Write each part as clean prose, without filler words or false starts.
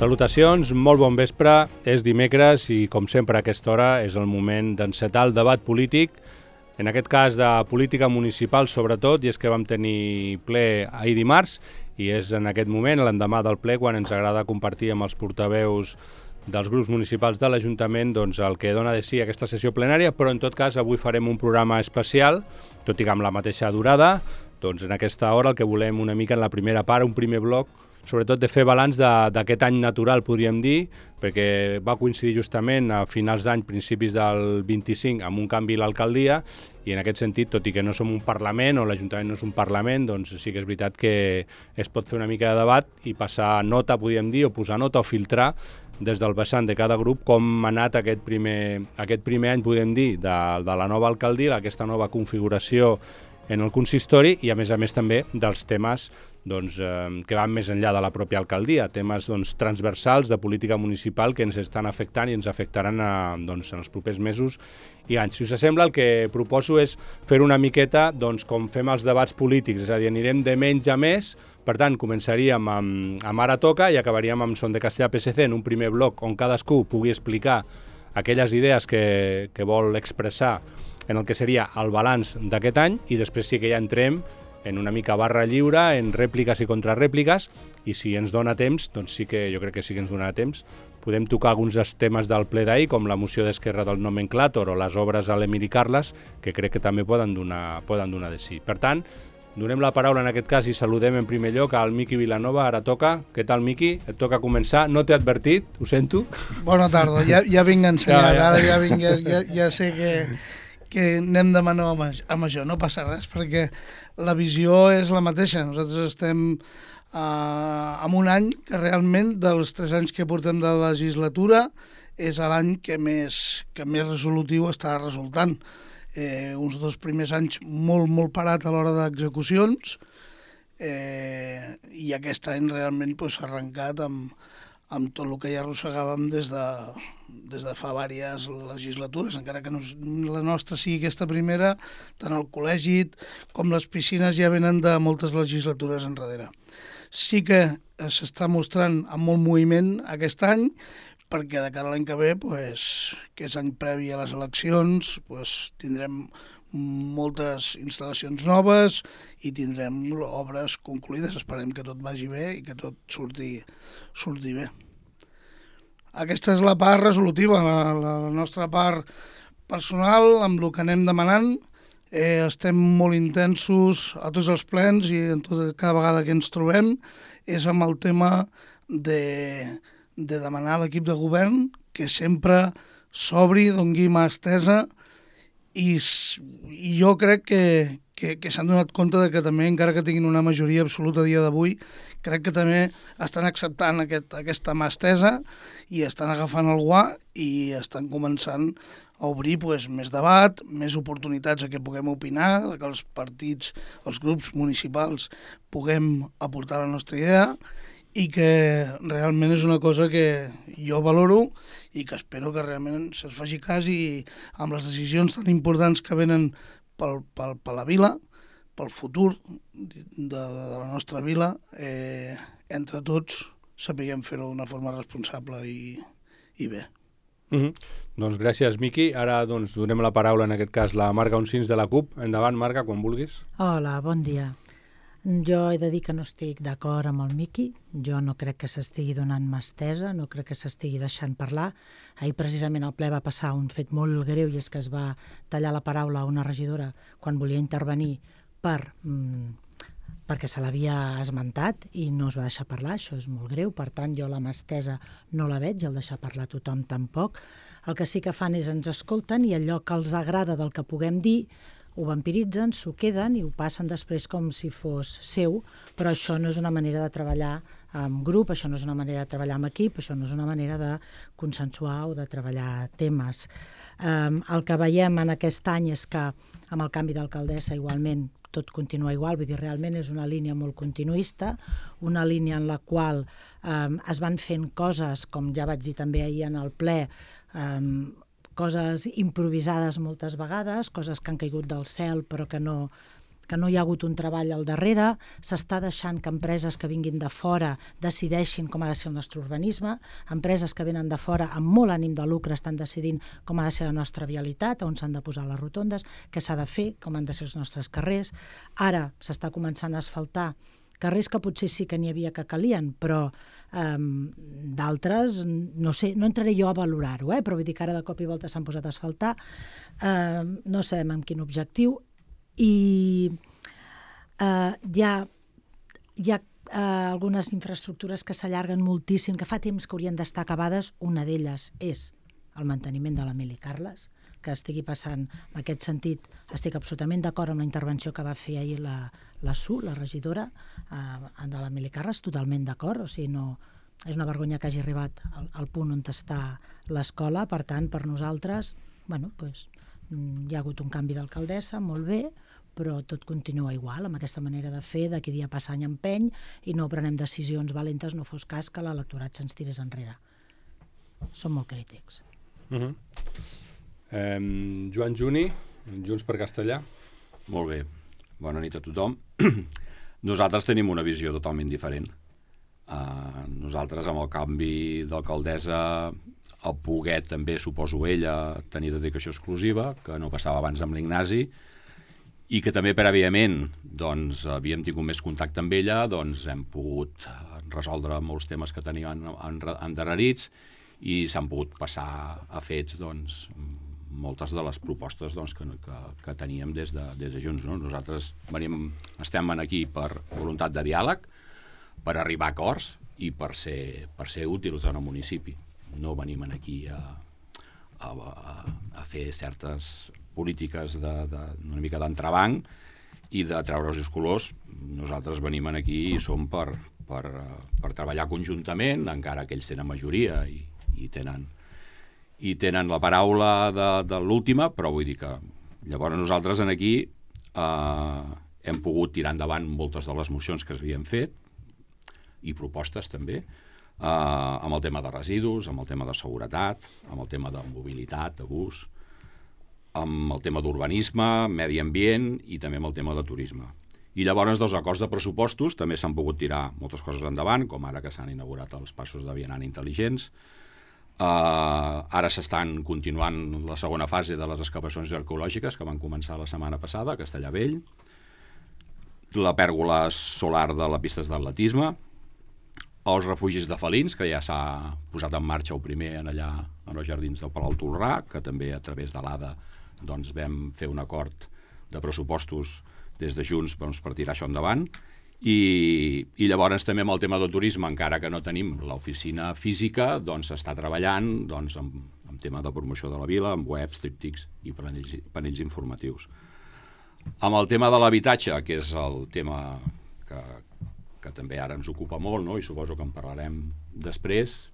Salutacions, molt bon vespre, és dimecres i com sempre a aquesta hora és el moment d'encetar el debat polític, en aquest cas de política municipal sobretot, i és que vam tenir ple ahir dimarts i és en aquest moment, l'endemà del ple, quan ens agrada compartir amb els portaveus dels grups municipals de l'Ajuntament doncs, el que dona de si aquesta sessió plenària, però en tot cas avui farem un programa especial, tot i que amb la mateixa durada, doncs en aquesta hora el que volem una mica en la primera part, un primer bloc, sobretot de fer balanç d'aquest any natural, podríem dir, perquè va coincidir justament a finals d'any, principis del 25, amb un canvi a l'alcaldia, i en aquest sentit, tot i que no som un Parlament, o l'Ajuntament no és un Parlament, doncs sí que és veritat que es pot fer una mica de debat i passar nota, podríem dir, o posar nota o filtrar des del vessant de cada grup com ha anat aquest primer any, podem dir, de la nova alcaldia, aquesta nova configuració en el consistori i, a més també, dels temes doncs, que van més enllà de la pròpia alcaldia, temes doncs, transversals de política municipal que ens estan afectant i ens afectaran doncs, en els propers mesos i anys. Si us sembla, el que proposo és fer una miqueta doncs, com fem els debats polítics, és a dir, anirem de menys a més. Per tant, començaríem amb Ara Toca i acabaríem amb Son de Castellà-PSC en un primer bloc on cadascú pugui explicar aquelles idees que vol expressar en el que seria el balanç d'aquest any i després sí que ja entrem en una mica barra lliure, en rèpliques i contrarrèpliques, i si ens dona temps, doncs sí que jo crec que sí que ens donarà temps, podem tocar alguns dels temes del ple d'ahir, com la moció d'Esquerra del nomenclàtor o les obres a l'Emili Carles, que crec que també poden donar de sí. Per tant, donem la paraula en aquest cas i saludem en primer lloc al Miqui Vilanova. Ara toca. Què tal, Miqui? Et toca començar. No t'he advertit, ho sento. Bona tarda, ja vinc ensenyat, ara ja sé que anem de menor amb això, no passa res, perquè la visió és la mateixa. Nosaltres estem en un any que realment, dels 3 anys que portem de legislatura, és l'any que més resolutiu està resultant. Uns 2 primers anys molt parat a l'hora d'execucions i aquest any realment s'ha arrencat amb tot el que ja arrossegàvem des de fa diverses legislatures, encara que la nostra sigui aquesta primera, tant el col·legi com les piscines ja venen de moltes legislatures enrere. Sí que s'està mostrant amb molt moviment aquest any, perquè de cara a l'any que ve, que és any previ a les eleccions, tindrem moltes instal·lacions noves i tindrem obres concluïdes. Esperem que tot vagi bé i que tot surti bé. Aquesta és la part resolutiva. La nostra part personal, amb el que anem demanant, estem molt intensos a tots els plens i cada vegada que ens trobem és amb el tema de demanar a l'equip de govern que sempre s'obri, doni mà estesa i jo crec que s'han donat compte de que també, encara que tinguin una majoria absoluta a dia d'avui, crec que també estan acceptant aquesta mà estesa i estan agafant el guà i estan començant a obrir més debat, més oportunitats a que puguem opinar, que els partits, els grups municipals puguem aportar la nostra idea i que realment és una cosa que jo valoro i que espero que realment se'ls faci cas i amb les decisions tan importants que venen per la vila, pel futur de la nostra vila, entre tots sapiguem fer-ho d'una forma responsable i bé. Doncs gràcies, Miqui. Ara doncs, donem la paraula, en aquest cas, la Marga Oncins de la CUP. Endavant, Marga, quan vulguis. Hola, bon dia. Jo he de dir que no estic d'acord amb el Miqui, jo no crec que s'estigui donant mà estesa, no crec que s'estigui deixant parlar. Ahir precisament al ple va passar un fet molt greu i és que es va tallar la paraula a una regidora quan volia intervenir perquè se l'havia esmentat i no es va deixar parlar, això és molt greu, per tant jo la mà estesa no la veig, el deixar parlar tothom tampoc. El que sí que fan és ens escolten i allò que els agrada del que puguem dir ho vampiritzen, s'ho queden i ho passen després com si fos seu, però això no és una manera de treballar en grup, això no és una manera de treballar en equip, això no és una manera de consensuar o de treballar temes. El que veiem en aquest any és que amb el canvi d'alcaldessa igualment tot continua igual, vull dir, realment és una línia molt continuista, una línia en la qual es van fent coses, com ja vaig dir també ahir en el ple, coses improvisades moltes vegades, coses que han caigut del cel però que que no hi ha hagut un treball al darrere, s'està deixant que empreses que vinguin de fora decideixin com ha de ser el nostre urbanisme, empreses que venen de fora amb molt ànim de lucre estan decidint com ha de ser la nostra vialitat, on s'han de posar les rotondes, què s'ha de fer, com han de ser els nostres carrers. Ara s'està començant a asfaltar carrers que potser sí que n'hi havia que calien, però d'altres, no sé, no entraré jo a valorar-ho, però vull dir que ara de cop i volta s'han posat a asfaltar, no sabem amb quin objectiu, i hi ha algunes infraestructures que s'allarguen moltíssim, que fa temps que haurien d'estar acabades. Una d'elles és el manteniment de l'Emili Carles, que estigui passant en aquest sentit. Estic absolutament d'acord amb la intervenció que va fer ahir la Su, la regidora de l'Emili Carles, totalment d'acord, o sigui, no, és una vergonya que hagi arribat al punt on està l'escola. Per tant, per nosaltres, bueno, doncs, hi ha hagut un canvi d'alcaldessa, molt bé, però tot continua igual, amb aquesta manera de fer, de que dia passa any empeny, i no prenem decisions valentes, no fos cas que l'electorat se'ns tirés enrere. Som molt crítics. Joan Juni, Junts per Castellar. Molt bé, bona nit a tothom. Nosaltres tenim una visió totalment diferent. Nosaltres, amb el canvi d'alcaldessa, el poder també, suposo ella, tenir dedicació exclusiva, que no passava abans amb l'Ignasi, i que també prèviament doncs, havíem tingut més contacte amb ella, doncs hem pogut resoldre molts temes que teníem endarrerits i s'han pogut passar a fets doncs, moltes de les propostes doncs, que teníem des de Junts. No? Nosaltres estem aquí per voluntat de diàleg, per arribar a acords i per ser útils en el municipi. No venim aquí a fer certes polítiques una mica d'entrebanc i de treure's els colors. Nosaltres venim aquí i som per treballar conjuntament, encara que ells tenen majoria i tenen la paraula de l'última, però vull dir que llavors nosaltres aquí hem pogut tirar endavant moltes de les mocions que s'havien fet i propostes també, amb el tema de residus, amb el tema de seguretat, amb el tema de mobilitat, de bus, amb el tema d'urbanisme, medi ambient i també amb el tema de turisme. I llavors dels acords de pressupostos també s'han pogut tirar moltes coses endavant, com ara que s'han inaugurat els passos de vianant intel·ligents. Ara s'estan continuant la segona fase de les excavacions arqueològiques que van començar la setmana passada a Castellar-Vell, la pèrgola solar de les pistes d'atletisme, els refugis de felins, que ja s'ha posat en marxa el primer allà en els jardins del Palau Tolrà, que també a través de l'ADA doncs, vam fer un acord de pressupostos des de Junts per tirar això endavant. I llavors també amb el tema del turisme, encara que no tenim l'oficina física, doncs s'està treballant doncs, amb tema de promoció de la vila, amb webs, tríptics i panells informatius. Amb el tema de l'habitatge, que és el tema que també ara ens ocupa molt, no? I suposo que en parlarem després,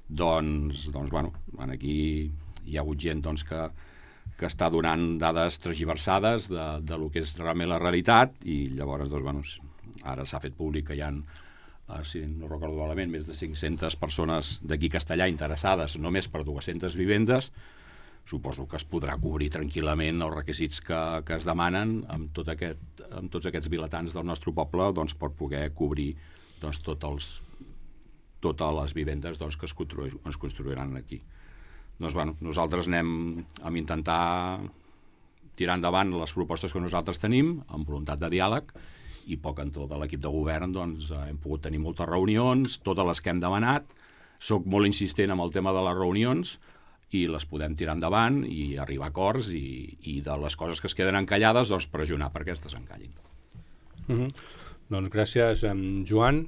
doncs bueno, aquí hi ha hagut gent doncs, que està donant dades tergiversades de lo que és realment la realitat, i llavors doncs, bueno, ara s'ha fet públic que hi ha, si no recordo malament, més de 500 persones d'aquí Castellar interessades només per 200 vivendes. Suposo que es podrà cobrir tranquil·lament els requisits que es demanen amb tots aquests vilatans del nostre poble doncs, per poder cobrir doncs, totes les vivendes doncs, que es construiran aquí. Doncs, bueno, nosaltres anem a intentar tirar endavant les propostes que nosaltres tenim amb voluntat de diàleg, i poc en tot de l'equip de govern doncs, hem pogut tenir moltes reunions, totes les que hem demanat. Soc molt insistent amb el tema de les reunions i les podem tirar endavant i arribar a acords i de les coses que es queden encallades doncs, pressionar perquè es desencallin. Doncs gràcies, Joan.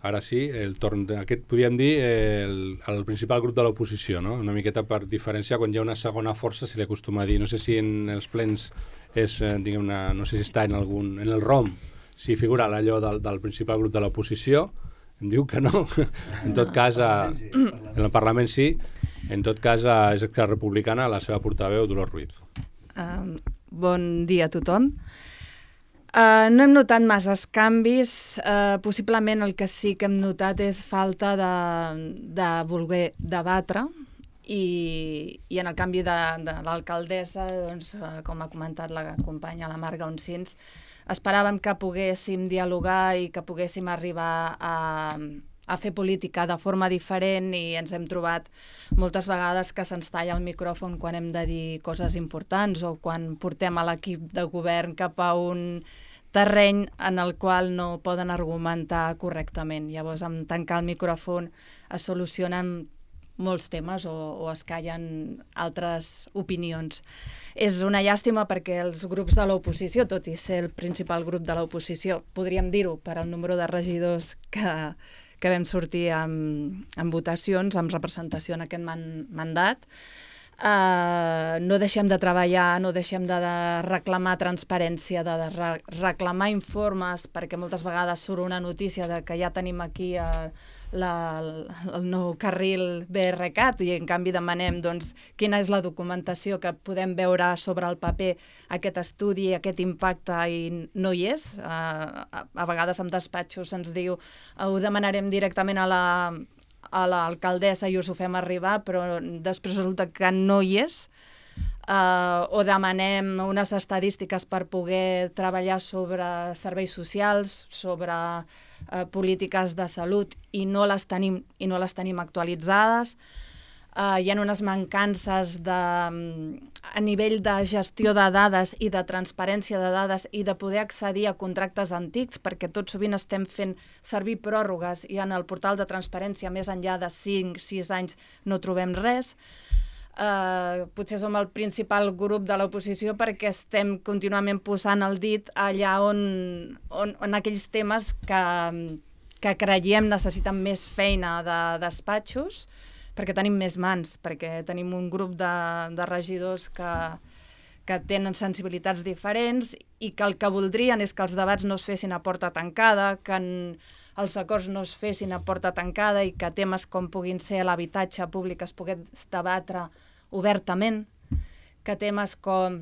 Ara sí, el torn d'aquest, podríem dir, el principal grup de l'oposició, no? Una miqueta per diferenciar, quan hi ha una segona força se li acostuma a dir, no sé si en els plens és, diguem-ne, no sé si està en el ROM, si figura allò del principal grup de l'oposició, em diu que no. En tot cas, en el Parlament sí. En tot cas, és Esquerra Republicana, la seva portaveu, Dolors Ruiz. Bon dia a tothom. No hem notat masses canvis. Possiblement el que sí que hem notat és falta de voler debatre i en el canvi de l'alcaldessa, doncs, com ha comentat la companya, la Marga Oncins, esperàvem que poguéssim dialogar i que poguéssim arribar a fer política de forma diferent, i ens hem trobat moltes vegades que se'ns talla el micròfon quan hem de dir coses importants o quan portem a l'equip de govern cap a un terreny en el qual no poden argumentar correctament. Llavors, amb tancar el micròfon es solucionen molts temes o es callen altres opinions. És una llàstima perquè els grups de l'oposició, tot i ser el principal grup de l'oposició, podríem dir-ho per al número de regidors que vam sortir amb votacions, amb representació en aquest mandat, no deixem de treballar, no deixem de reclamar transparència, de reclamar informes, perquè moltes vegades surt una notícia de que ja tenim aquí el nou carril BRCat i en canvi demanem quina és la documentació que podem veure sobre el paper aquest estudi, aquest impacte, i no hi és. A vegades en despatxos se'ns diu ho demanarem directament a l'alcaldessa i us ho fem arribar, però després resulta que no hi és. O demanem unes estadístiques per poder treballar sobre serveis socials, sobre polítiques de salut, i no les tenim actualitzades. Hi ha unes mancances a nivell de gestió de dades i de transparència de dades i de poder accedir a contractes antics, perquè tot sovint estem fent servir pròrrogues i en el portal de transparència més enllà de 5-6 anys no trobem res. Potser som el principal grup de l'oposició perquè estem contínuament posant el dit allà on aquells temes que creiem necessiten més feina de despatxos, perquè tenim més mans, perquè tenim un grup de regidors que tenen sensibilitats diferents i que el que voldrien és que els debats no es fessin a porta tancada, que els acords no es fessin a porta tancada i que temes com puguin ser l'habitatge públic es pogués debatre obertament, que temes com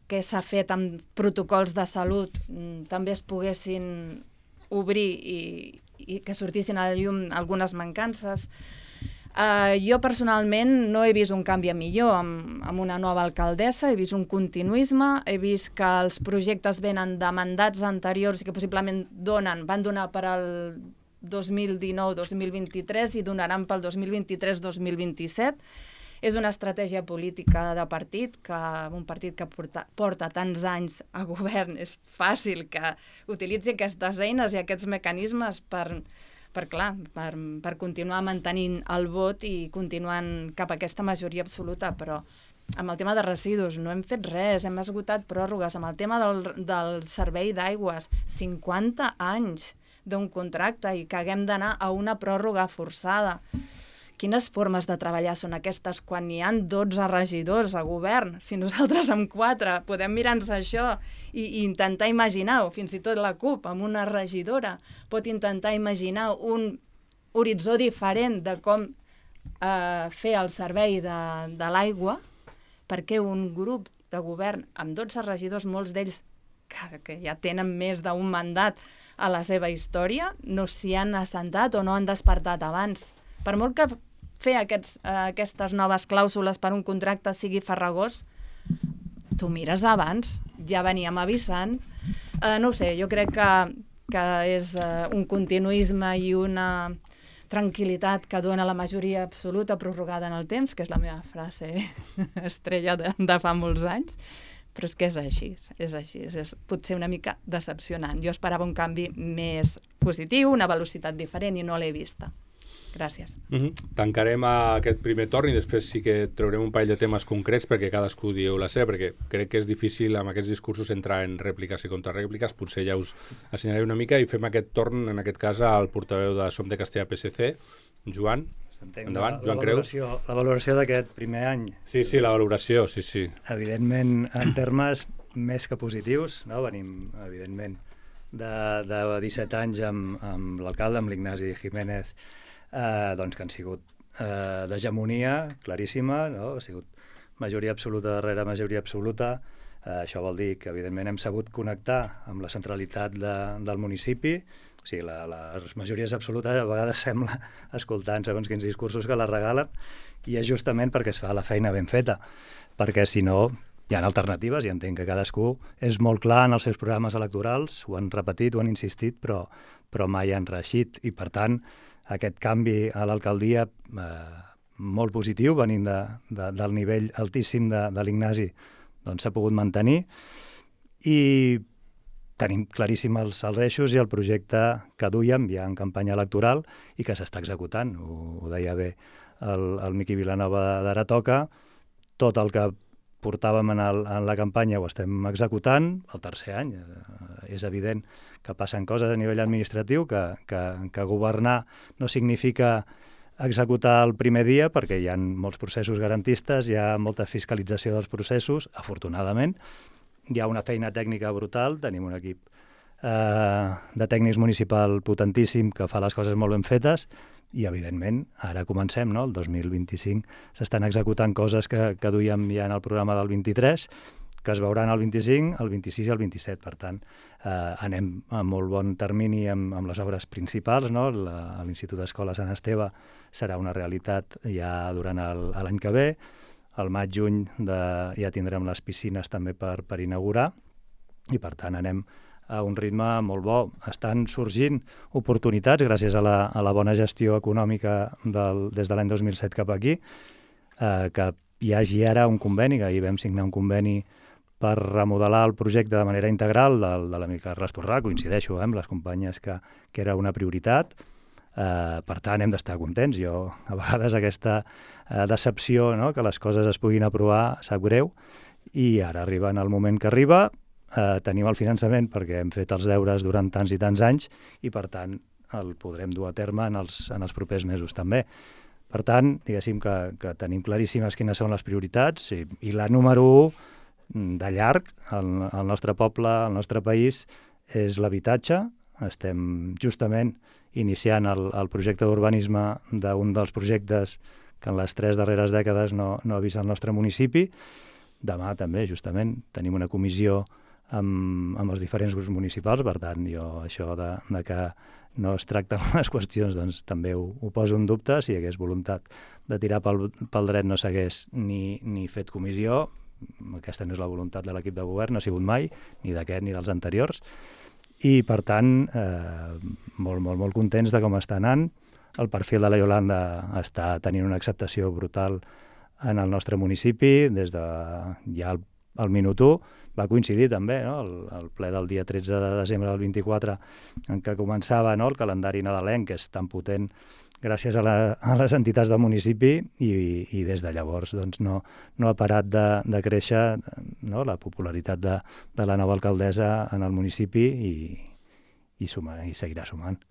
què s'ha fet amb protocols de salut també es poguessin obrir i que sortissin a la llum algunes mancances. Jo personalment no he vist un canvi a millor amb una nova alcaldessa, he vist un continuisme, he vist que els projectes venen de mandats anteriors i que possiblement van donar per al 2019-2023 i donaran pel 2023-2027. És una estratègia política de partit, que un partit que porta tants anys a govern és fàcil que utilitzi aquestes eines i aquests mecanismes per continuar mantenint el vot i continuant cap a aquesta majoria absoluta, però amb el tema de residus no hem fet res, hem esgotat pròrrogues. Amb el tema del servei d'aigües, 50 anys d'un contracte i que haguem d'anar a una pròrroga forçada. Quines formes de treballar són aquestes quan hi ha 12 regidors a govern? Si nosaltres amb 4 podem mirar-nos això i intentar imaginar-ho, fins i tot la CUP amb una regidora pot intentar imaginar un horitzó diferent de com fer el servei de l'aigua, perquè un grup de govern amb 12 regidors, molts d'ells que ja tenen més d'un mandat a la seva història, no s'hi han assentat o no han despertat abans. Per molt que fer aquestes noves clàusules per un contracte sigui farragós, tu mires abans, ja veníem avisant. No ho sé, jo crec que és un continuisme i una tranquil·litat que dona la majoria absoluta prorrogada en el temps, que és la meva frase estrella de fa molts anys, però és que és així, és potser una mica decepcionant. Jo esperava un canvi més positiu, una velocitat diferent i no l'he vista. Gràcies. Tancarem aquest primer torn i després sí que traurem un parell de temes concrets perquè cadascú dieu la seva, perquè crec que és difícil amb aquests discursos entrar en rèpliques i contrarèpliques, potser ja us assenyalaré una mica i fem aquest torn, en aquest cas, al portaveu de Som de Castellà PSC, Joan. Endavant, Joan Creus. La valoració d'aquest primer any. Sí, la valoració, sí. Evidentment, en termes més que positius, no? Venim, evidentment, de 17 anys amb l'alcalde, amb l'Ignasi Jiménez, doncs que han sigut d'hegemonia claríssima, no? Ha sigut majoria absoluta darrere majoria absoluta, Això vol dir que, evidentment, hem sabut connectar amb la centralitat del municipi. O sigui, les majories absolutes a vegades sembla, escoltant segons quins discursos, que la regalen, i és justament perquè es fa la feina ben feta, perquè si no hi ha alternatives, i entenc que cadascú és molt clar en els seus programes electorals, ho han repetit, ho han insistit, però mai han reeixit, i per tant aquest canvi a l'alcaldia molt positiu, venint del nivell altíssim de l'Ignasi, doncs s'ha pogut mantenir, i tenim claríssims els eixos i el projecte que duiem ja en campanya electoral i que s'està executant. Ho deia bé el Miqui Vilanova d'Ara Toca, tot el que portàvem en la campanya ho estem executant el tercer any. És evident que passen coses a nivell administratiu, que governar no significa executar el primer dia, perquè hi ha molts processos garantistes, hi ha molta fiscalització dels processos, afortunadament. Hi ha una feina tècnica brutal, tenim un equip de tècnics municipal potentíssim que fa les coses molt ben fetes, i, evidentment, ara comencem, no? El 2025 s'estan executant coses que duíem ja en el programa del 23, que es veuran el 25, el 26 i el 27. Per tant, anem a molt bon termini amb les obres principals, no? L'Institut d'Escola Sant Esteve serà una realitat ja durant l'any que ve. Al maig-juny ja tindrem les piscines també per inaugurar, i per tant anem a un ritme molt bo. Estan sorgint oportunitats gràcies a la bona gestió econòmica des de l'any 2007 cap aquí, que hi hagi ara un conveni, que ahir vam signar un conveni per remodelar el projecte de manera integral de l'amic Carles Torrà. Coincideixo amb les companyes que era una prioritat. Per tant, hem d'estar contents. Jo, a vegades, aquesta decepció, no?, que les coses es puguin aprovar, sap greu, i ara arriba en el moment que arriba. Tenim el finançament perquè hem fet els deures durant tants i tants anys, i per tant el podrem dur a terme en els propers mesos també. Per tant, diguéssim que tenim claríssimes quines són les prioritats, i la número 1 de llarg al nostre poble, al nostre país, és l'habitatge. Estem justament iniciant el projecte d'urbanisme d'un dels projectes que en les 3 darreres dècades no ha vist el nostre municipi. Demà també, justament, tenim una comissió amb els diferents grups municipals. Per tant, jo això de que no es tracten les qüestions, doncs també ho poso en dubte. Si hi hagués voluntat de tirar pel dret no s'hagués ni fet comissió. Aquesta no és la voluntat de l'equip de govern, no ha sigut mai, ni d'aquest ni dels anteriors. I, per tant, molt contents de com està anant. El perfil de la Iolanda està tenint una acceptació brutal en el nostre municipi. Des de ja el minut 1 va coincidir també, no?, el ple del dia 13 de desembre del 24, en què començava, no?, el calendari nadalenc, que és tan potent gràcies a les entitats del municipi, i des de llavors doncs, no ha parat de créixer, no?, la popularitat de la nova alcaldessa en el municipi, i seguirà sumant.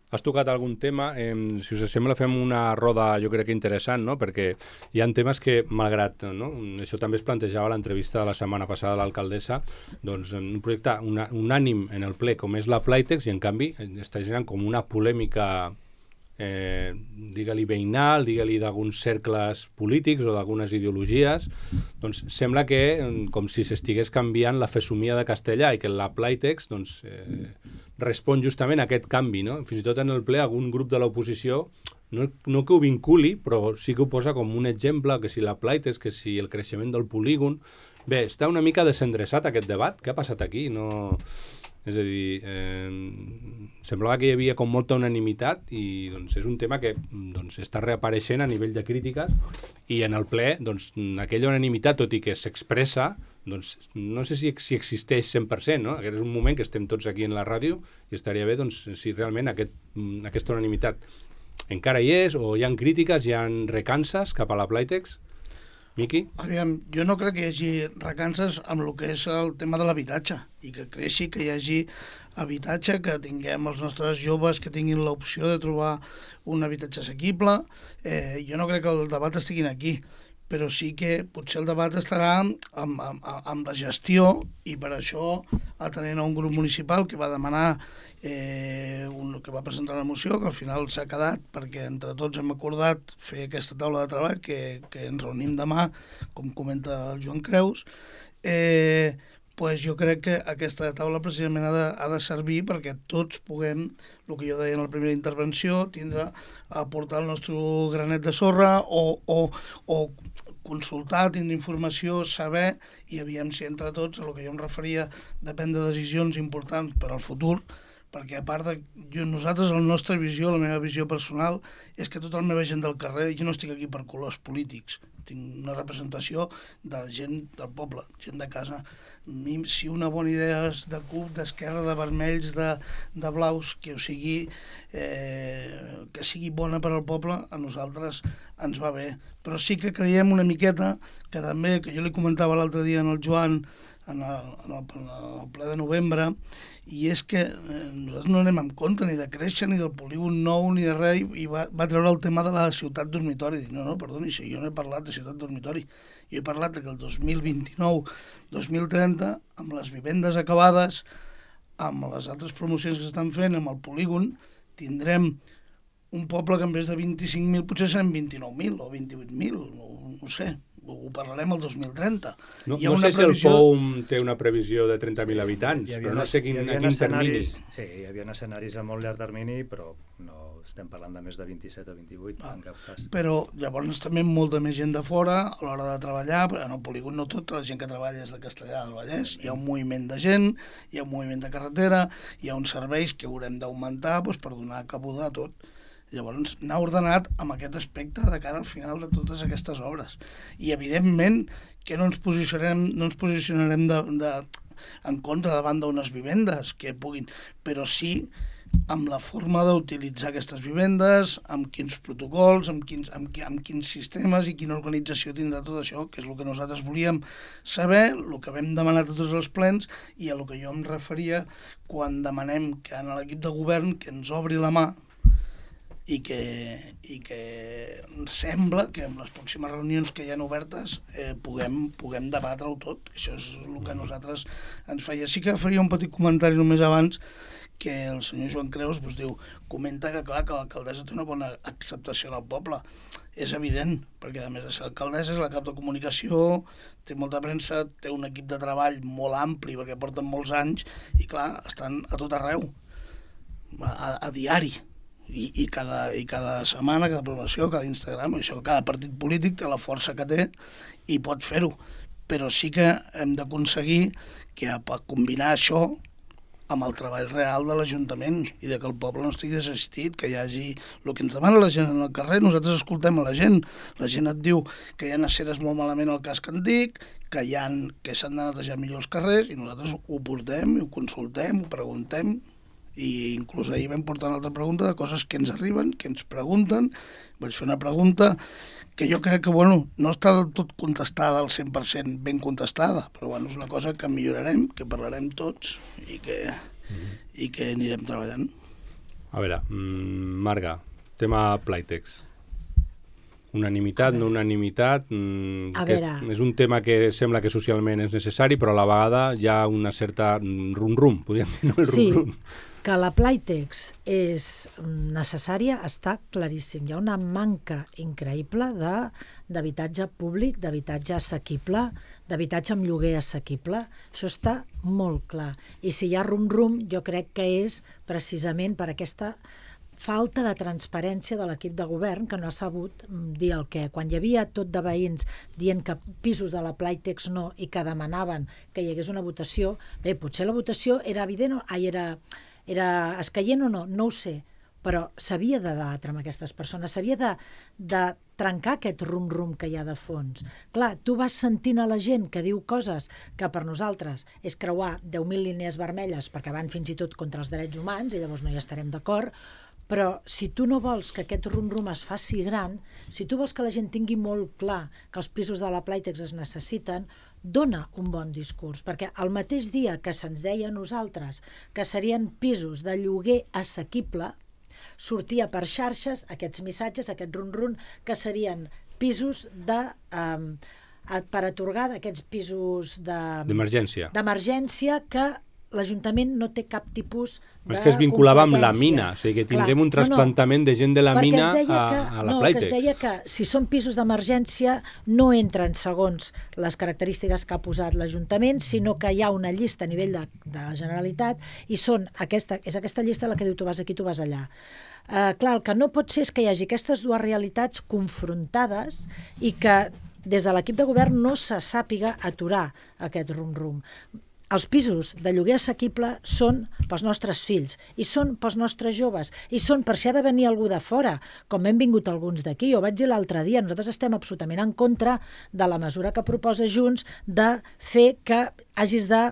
Has tocat algun tema, si us sembla fem una roda, jo crec que interessant, no?, perquè hi ha temes que, malgrat, no?, això també es plantejava a l'entrevista de la setmana passada de l'alcaldessa, doncs un projecte unànim en el ple com és la Playtex, i en canvi està generant com una polèmica, digue-li veïnal, digue-li d'alguns cercles polítics o d'algunes ideologies. Doncs sembla que com si s'estigués canviant la fesomia de castellà, i que la Playtex doncs, respon justament a aquest canvi, no? Fins i tot en el ple algun grup de l'oposició, no que ho vinculi, però sí que ho posa com un exemple, que si la Playtex, que si el creixement del polígon. Bé, està una mica desendreçat aquest debat. Què ha passat aquí? És a dir, semblava que hi havia com molta unanimitat, i doncs, és un tema que doncs, està reapareixent a nivell de crítiques, i en el ple doncs, aquella unanimitat, tot i que s'expressa, doncs, no sé si existeix 100%, no? Aquest és un moment que estem tots aquí en la ràdio, i estaria bé doncs, si realment aquesta unanimitat encara hi és, o hi ha crítiques, hi ha recances cap a la Playtex. Miqui? Aviam, jo no crec que hi hagi recances amb el que és el tema de l'habitatge, i que creixi, que hi hagi habitatge, que tinguem els nostres joves que tinguin l'opció de trobar un habitatge assequible. Jo no crec que el debat estigui aquí, però sí que potser el debat estarà amb la gestió, i per això, atenent a un grup municipal que va demanar, que va presentar una moció, que al final s'ha quedat, perquè entre tots hem acordat fer aquesta taula de treball, que ens reunim demà, com comenta el Joan Creus, pues jo crec que aquesta taula precisament ha de servir perquè tots puguem, el que jo deia en la primera intervenció, aportar el nostre granet de sorra o consultar, tindre informació, saber, i aviam si entre tots, a el que jo em referia, de prendre decisions importants per al futur, perquè a part de nosaltres, la nostra visió, la meva visió personal, és que tota la meva gent del carrer, jo no estic aquí per colors polítics, tinc una representació de la gent del poble, gent de casa. Si una bona idea és de CUP, d'Esquerra, de vermells, de blaus, que sigui bona per al poble, a nosaltres ens va bé. Però sí que creiem una miqueta, que també, que jo li comentava l'altre dia en el Joan, en el ple de novembre, i és que nosaltres no anem en compte ni de créixer, ni del polígon nou, ni de res, i va treure el tema de la ciutat dormitori. Dic, no, perdoni, si jo no he parlat de ciutat dormitori. Jo he parlat que el 2029-2030, amb les vivendes acabades, amb les altres promocions que s'estan fent, amb el polígon, tindrem un poble que en vez de 25.000 potser seran 29.000 o 28.000, no sé. Ho parlarem el 2030. No sé si el POUM té una previsió de 30.000 habitants, però no sé a quin termini. Sí, hi havia escenaris a molt llarg termini, però no estem parlant de més de 27 o 28, en cap cas. Però llavors també molta més gent de fora a l'hora de treballar, en el polígon no tota la gent que treballa és de Castellar del Vallès, hi ha un moviment de gent, hi ha un moviment de carretera, hi ha uns serveis que haurem d'augmentar per donar cabuda a tot. Llavors, anar ordenat amb aquest aspecte de cara al final de totes aquestes obres. I, evidentment, que no ens posicionarem en contra davant d'unes vivendes que puguin, però sí amb la forma d'utilitzar aquestes vivendes, amb quins protocols, amb quins sistemes i quina organització tindrà tot això, que és el que nosaltres volíem saber, el que vam demanar a tots els plens i a el que jo em referia quan demanem que en l'equip de govern que ens obri la mà i que sembla que en les pròximes reunions que hi ha obertes puguem debatre-ho tot. Això és el que a nosaltres ens feia. Sí que faria un petit comentari només abans, que el senyor Joan Creus diu, comenta que clar que l'alcaldessa té una bona acceptació en el poble. És evident, perquè a més de ser alcaldessa és la cap de comunicació, té molta premsa, té un equip de treball molt ampli perquè porten molts anys i clar, estan a tot arreu, a diari. I cada setmana, cada programació, cada Instagram, això, cada partit polític té la força que té i pot fer-ho. Però sí que hem d'aconseguir que combinar això amb el treball real de l'Ajuntament i de que el poble no estigui desassistit, que hi hagi el que ens demana la gent en el carrer, nosaltres escoltem a la gent et diu que hi ha aceres molt malament al casc antic, que s'han de netejar millor els carrers i nosaltres ho portem i ho consultem, ho preguntem, i inclús ahir vam portar una altra pregunta de coses que ens arriben, que ens pregunten. Vaig fer una pregunta que jo crec que no està del tot contestada al 100% ben contestada, però és una cosa que millorarem, que parlarem tots i que anirem treballant. A veure, Marga, tema Playtex. Unanimitat, no unanimitat, és un tema que sembla que socialment és necessari, però a la vegada hi ha una certa rum-rum, podríem dir, no? Sí, que la Playtex és necessària està claríssim. Hi ha una manca increïble d'habitatge públic, d'habitatge assequible, d'habitatge amb lloguer assequible. Això està molt clar. I si hi ha rum-rum, jo crec que és precisament per aquesta falta de transparència de l'equip de govern, que no ha sabut dir el què. Quan hi havia tot de veïns dient que pisos de la Playtex no i que demanaven que hi hagués una votació, bé, potser la votació era evident, era escaient o no ho sé, però s'havia de debatre amb aquestes persones, s'havia de trencar aquest rum-rum que hi ha de fons. Clar, tu vas sentint a la gent que diu coses que per nosaltres és creuar 10.000 línies vermelles perquè van fins i tot contra els drets humans i llavors no hi estarem d'acord, però si tu no vols que aquest rum-rum es faci gran, si tu vols que la gent tingui molt clar que els pisos de la Playtex es necessiten, dona un bon discurs, perquè el mateix dia que se'ns deia a nosaltres que serien pisos de lloguer assequible, sortia per xarxes aquests missatges, aquest run-run, que serien pisos per atorgar d'aquests pisos d'emergència que l'Ajuntament no té cap tipus de és que es vinculava amb la competència. mina, o sigui que tindrem un trasplantament de gent de la mina a la Playtex. Que es deia que si són pisos d'emergència no entren segons les característiques que ha posat l'Ajuntament, sinó que hi ha una llista a nivell de la Generalitat i és aquesta llista la que diu tu vas aquí, tu vas allà. Clar, el que no pot ser és que hi hagi aquestes dues realitats confrontades i que des de l'equip de govern no se sàpiga aturar aquest rum-rum. Els pisos de lloguer assequible són pels nostres fills, i són pels nostres joves, i són per si ha de venir algú de fora, com hem vingut alguns d'aquí. Jo vaig dir l'altre dia, nosaltres estem absolutament en contra de la mesura que proposa Junts de fer que hagis de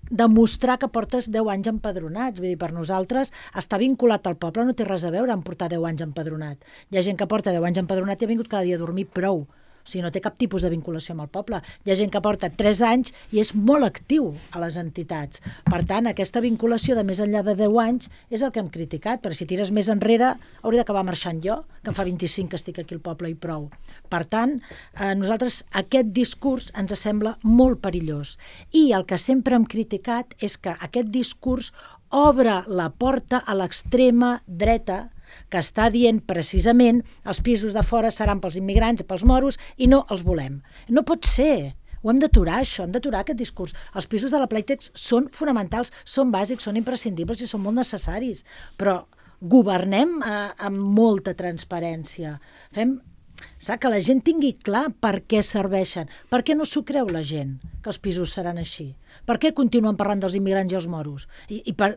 demostrar que portes 10 anys empadronats. Vull dir, per nosaltres, estar vinculat al poble no té res a veure amb portar 10 anys empadronat. Hi ha gent que porta 10 anys empadronat i ha vingut cada dia a dormir prou. O sigui, no té cap tipus de vinculació amb el poble. Hi ha gent que porta 3 anys i és molt actiu a les entitats. Per tant, aquesta vinculació de més enllà de 10 anys és el que hem criticat, perquè si tires més enrere hauria d'acabar marxant jo, que em fa 25 que estic aquí al poble i prou. Per tant, a nosaltres aquest discurs ens sembla molt perillós. I el que sempre hem criticat és que aquest discurs obre la porta a l'extrema dreta que està dient precisament els pisos de fora seran pels immigrants, pels moros, i no els volem. No pot ser. Ho hem d'aturar, això, hem d'aturar aquest discurs. Els pisos de la Playtex són fonamentals, són bàsics, són imprescindibles i són molt necessaris, però governem amb molta transparència. Que la gent tingui clar per què serveixen. Per què no s'ho creu la gent, que els pisos seran així? Per què continuen parlant dels immigrants i els moros?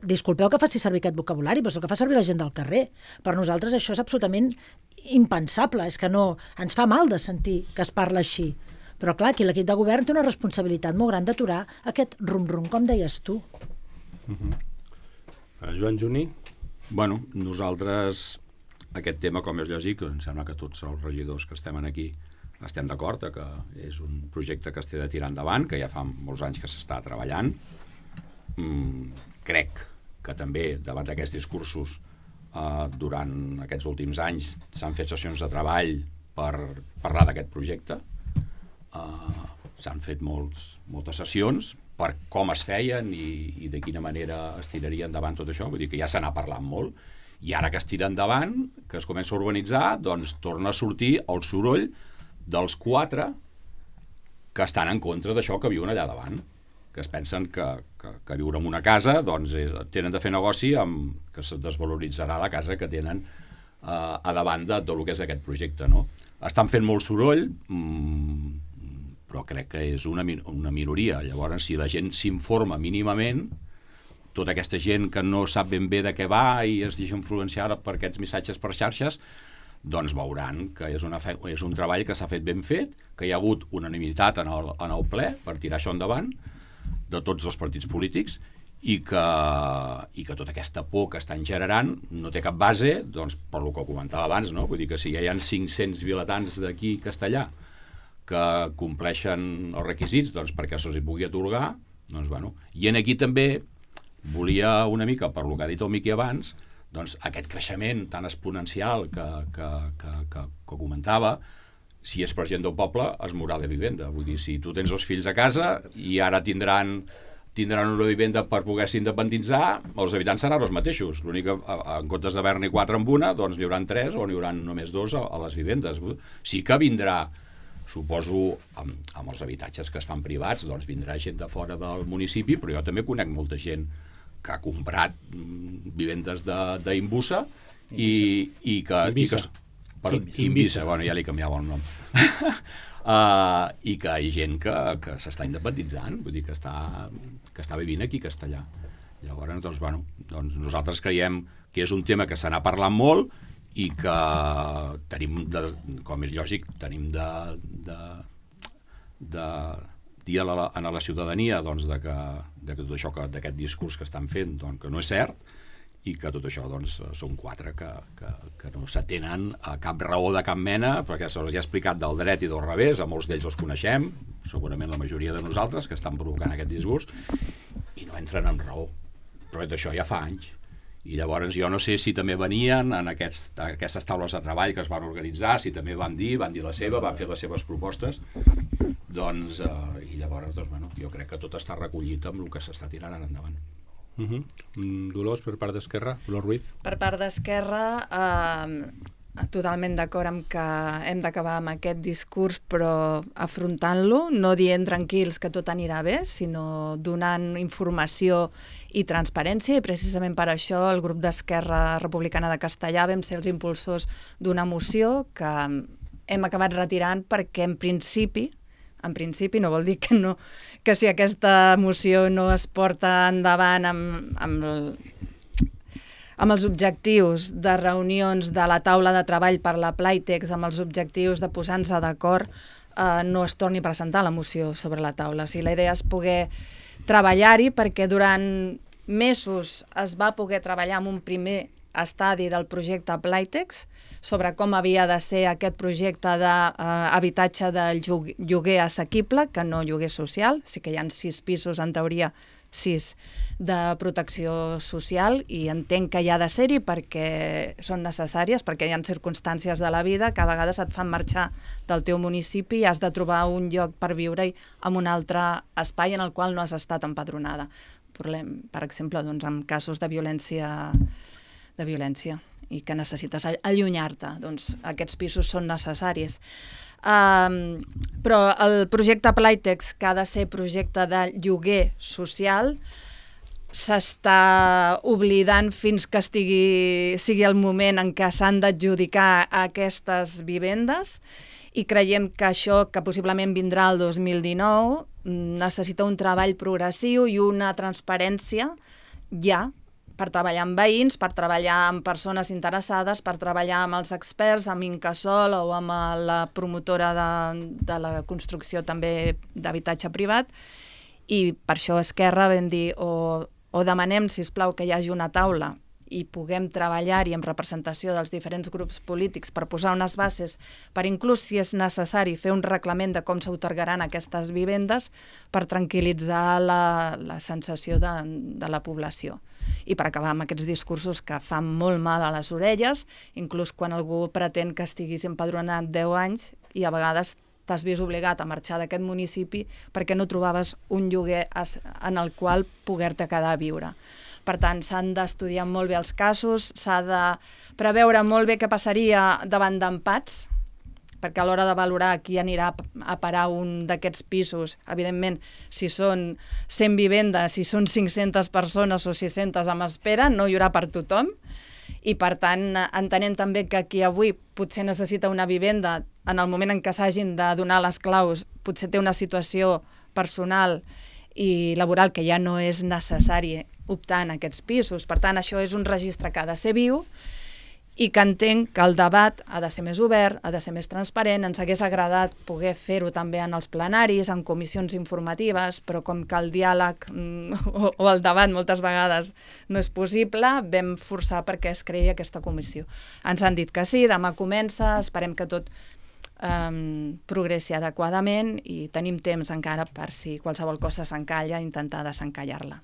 Disculpeu que faci servir aquest vocabulari, però és el que fa servir la gent del carrer. Per nosaltres això és absolutament impensable, és que no, ens fa mal de sentir que es parla així. Però clar, aquí l'equip de govern té una responsabilitat molt gran d'aturar aquest rum-rum, com deies tu. Joan Juní? Bueno, nosaltres aquest tema, com és lògic, em sembla que tots els regidors que estem aquí estem d'acord que és un projecte que es té de tirar endavant, que ja fa molts anys que s'està treballant. Crec que també davant d'aquests discursos durant aquests últims anys s'han fet sessions de treball per parlar d'aquest projecte. S'han fet moltes sessions per com es feien i de quina manera es tiraria endavant tot això. Vull dir que ja se n'ha parlat molt. I ara que es tira endavant, que es comença a urbanitzar, doncs torna a sortir el soroll dels 4 que estan en contra d'això que viuen allà davant, que es pensen que viure en una casa doncs tenen de fer negoci amb que se desvaloritzarà la casa que tenen a davant de tot el que és aquest projecte, no? Estan fent molt soroll, però crec que és una minoria. Llavors, si la gent s'informa mínimament, tota aquesta gent que no sap ben bé de què va i es deixa influenciar per aquests missatges per xarxes, doncs veuran que és un treball que s'ha fet ben fet, que hi ha hagut unanimitat en el ple per tirar això endavant de tots els partits polítics i que tota aquesta por que estan generant no té cap base, doncs, per el que comentava abans, no? Vull dir que si ja hi ha 500 vilatans d'aquí castellà que compleixen els requisits doncs, perquè se'ls hi pugui atorgar, doncs, bueno. I aquí també volia una mica, per lo que ha dit el Miqui abans, doncs aquest creixement tan exponencial que comentava, si és per gent del poble, es mourà de vivenda. Vull dir, si tu tens els fills a casa i ara tindran una vivenda per poder-se independitzar, els habitants seran els mateixos. L'únic que, en comptes d'haver-n'hi 4 en una, doncs n'hi haurà 3 o n'hi haurà només 2 a les vivendes. Sí que vindrà, suposo, amb els habitatges que es fan privats, doncs vindrà gent de fora del municipi, però jo també conec molta gent que ha comprat vivendes d'Imbusa i que... Invisa, bueno, ja li canviava el nom. I que hi ha gent que s'està independitzant, vull dir que està vivint aquí a Castellà. Llavors, doncs, bueno, doncs nosaltres creiem que és un tema que se n'ha parlat molt i que tenim, com és lògic, tenim de dir a la ciutadania doncs, de tot això, d'aquest discurs que estan fent, doncs, que no és cert, i que tot això doncs, són 4 que no s'atenen a cap raó de cap mena, perquè se'ls ha explicat del dret i del revés, a molts d'ells els coneixem, segurament la majoria de nosaltres, que estan provocant aquest discurs, i no entren en raó. Però d'això ja fa anys. I llavors jo no sé si també venien en aquestes taules de treball que es van organitzar, si també van dir la seva, van fer les seves propostes, doncs, i llavors, doncs, bueno, jo crec que tot està recollit amb el que s'està tirant endavant. Dolors, per part d'Esquerra, Dolors Ruiz. Per part d'Esquerra, totalment d'acord amb que hem d'acabar amb aquest discurs, però afrontant-lo, no dient tranquils que tot anirà bé, sinó donant informació i transparència, i precisament per això el grup d'Esquerra Republicana de Castellà vam ser els impulsors d'una moció que hem acabat retirant perquè en principi no vol dir que si aquesta moció no es porta endavant amb els objectius de reunions de la taula de treball per la Playtex, amb els objectius de posar-nos d'acord, no es torni a presentar la moció sobre la taula. O sigui, la idea és poder treballar-hi, perquè durant mesos es va poder treballar en un primer estadi del projecte Playtex sobre com havia de ser aquest projecte d'habitatge de lloguer assequible, que no lloguer social. Sí que hi ha 6 pisos, en teoria 6 de protecció social, i entenc que hi ha de ser-hi perquè són necessàries, perquè hi ha circumstàncies de la vida que a vegades et fan marxar del teu municipi i has de trobar un lloc per viure-hi en un altre espai en el qual no has estat empadronada. Per exemple, doncs, en casos de violència i que necessites allunyar-te, doncs aquests pisos són necessaris. Però el projecte Playtex, que ha de ser projecte de lloguer social, s'està oblidant fins que sigui el moment en què s'han d'adjudicar aquestes vivendes, i creiem que això, que possiblement vindrà el 2019, necessita un treball progressiu i una transparència ja, per treballar amb veïns, per treballar amb persones interessades, per treballar amb els experts, amb Incasòl o amb la promotora de la construcció també d'habitatge privat, i per això Esquerra vam dir o demanem, sisplau, que hi hagi una taula i puguem treballar-hi amb representació dels diferents grups polítics per posar unes bases, per inclús, si és necessari, fer un reglament de com s'atorgaran aquestes vivendes per tranquil·litzar la sensació de la població. I per acabar amb aquests discursos que fan molt mal a les orelles, inclús quan algú pretén que estiguis empadronat 10 anys i a vegades t'has vist obligat a marxar d'aquest municipi perquè no trobaves un lloguer en el qual poder-te quedar a viure. Per tant, s'han d'estudiar molt bé els casos, s'ha de preveure molt bé què passaria davant d'empats, perquè a l'hora de valorar qui anirà a parar un d'aquests pisos, evidentment, si són 100 vivendes, si són 500 persones o 600 amb espera, no hi haurà per tothom, i per tant, entenent també que qui avui potser necessita una vivenda, en el moment en què s'hagin de donar les claus, potser té una situació personal i laboral que ja no és necessari optar en aquests pisos. Per tant, això és un registre que ha de ser viu i que entenc que el debat ha de ser més obert, ha de ser més transparent. Ens hagués agradat poder fer-ho també en els plenaris, en comissions informatives, però com que el diàleg o el debat moltes vegades no és possible, vam forçar perquè es creï aquesta comissió. Ens han dit que sí, demà comença, esperem que tot progressi adequadament i tenim temps encara per si qualsevol cosa s'encalla, intentar desencallar-la.